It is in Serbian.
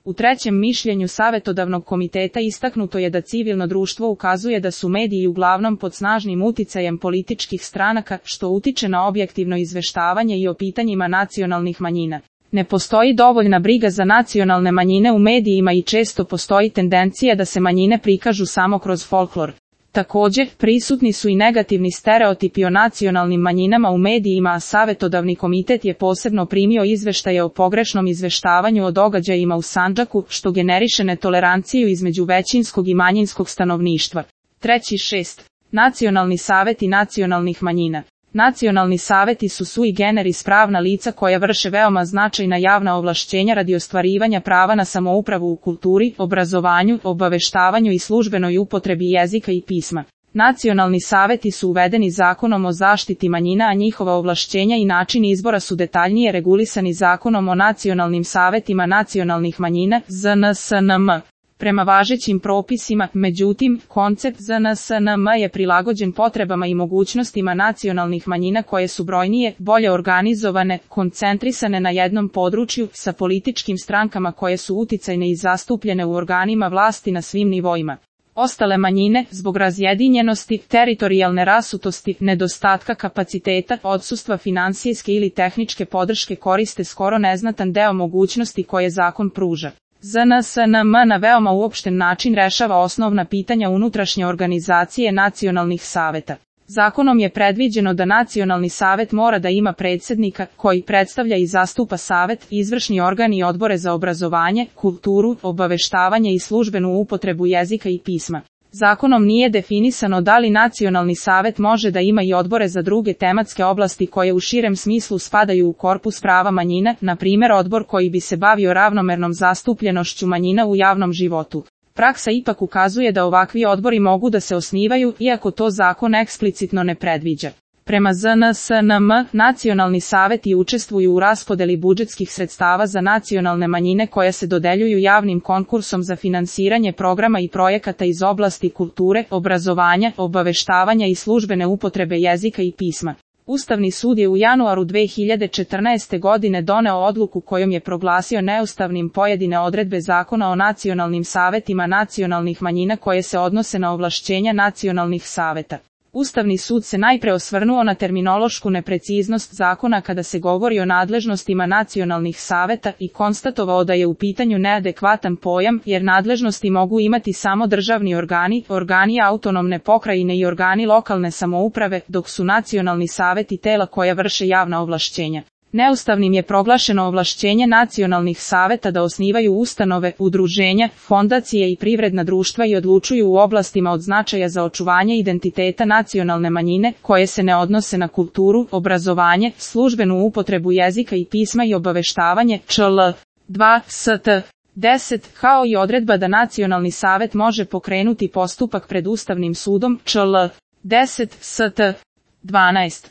U trećem mišljenju Savetodavnog komiteta istaknuto je da civilno društvo ukazuje da su mediji uglavnom pod snažnim uticajem političkih stranaka, što utiče na objektivno izveštavanje i o pitanjima nacionalnih manjina. Ne postoji dovoljna briga za nacionalne manjine u medijima i često postoji tendencija da se manjine prikažu samo kroz folklor. Također, prisutni su i negativni stereotipi o nacionalnim manjinama u medijima, a Savetodavni komitet je posebno primio izveštaje o pogrešnom izveštavanju o događajima u Sandžaku, što generiše netoleranciju između većinskog i manjinskog stanovništva. 3.6. Nacionalni saveti nacionalnih manjina. Nacionalni saveti su sui generis pravna lica koja vrše veoma značajna javna ovlašćenja radi ostvarivanja prava na samoupravu u kulturi, obrazovanju, obaveštavanju i službenoj upotrebi jezika i pisma. Nacionalni saveti su uvedeni Zakonom o zaštiti manjina, a njihova ovlašćenja i način izbora su detaljnije regulisani Zakonom o nacionalnim savetima nacionalnih manjina, ZNSNM. Prema važećim propisima, međutim, koncept ZNSNM je prilagođen potrebama i mogućnostima nacionalnih manjina koje su brojnije, bolje organizovane, koncentrisane na jednom području, sa političkim strankama koje su uticajne i zastupljene u organima vlasti na svim nivoima. Ostale manjine, zbog razjedinjenosti, teritorijalne rasutosti, nedostatka kapaciteta, odsustva finansijske ili tehničke podrške koriste skoro neznatan deo mogućnosti koje zakon pruža. ZNSNM na veoma uopšten način rešava osnovna pitanja unutrašnje organizacije nacionalnih saveta. Zakonom je predviđeno da nacionalni savet mora da ima predsjednika, koji predstavlja i zastupa savet, izvršni organ i odbore za obrazovanje, kulturu, obaveštavanje i službenu upotrebu jezika i pisma. Zakonom nije definisano da li nacionalni savet može da ima i odbore za druge tematske oblasti koje u širem smislu spadaju u korpus prava manjina, na primjer odbor koji bi se bavio ravnomernom zastupljenošću manjina u javnom životu. Praksa ipak ukazuje da ovakvi odbori mogu da se osnivaju, iako to zakon eksplicitno ne predviđa. Prema ZNSNM, nacionalni saveti učestvuju u raspodeli budžetskih sredstava za nacionalne manjine koja se dodeljuju javnim konkursom za finansiranje programa i projekata iz oblasti kulture, obrazovanja, obaveštavanja i službene upotrebe jezika i pisma. Ustavni sud je u januaru 2014. godine doneo odluku kojom je proglasio neustavnim pojedine odredbe Zakona o nacionalnim savetima nacionalnih manjina koje se odnose na ovlašćenja nacionalnih saveta. Ustavni sud se najpre osvrnuo na terminološku nepreciznost zakona kada se govori o nadležnostima nacionalnih saveta i konstatovao da je u pitanju neadekvatan pojam, jer nadležnosti mogu imati samo državni organi, organi autonomne pokrajine i organi lokalne samouprave, dok su nacionalni saveti tela koja vrše javna ovlašćenja. Neustavnim je proglašeno ovlašćenje nacionalnih saveta da osnivaju ustanove, udruženja, fondacije i privredna društva i odlučuju u oblastima od značaja za očuvanje identiteta nacionalne manjine, koje se ne odnose na kulturu, obrazovanje, službenu upotrebu jezika i pisma i obaveštavanje, čl. 2 st. 10, kao i odredba da nacionalni savet može pokrenuti postupak pred Ustavnim sudom, čl. 10 st. 12.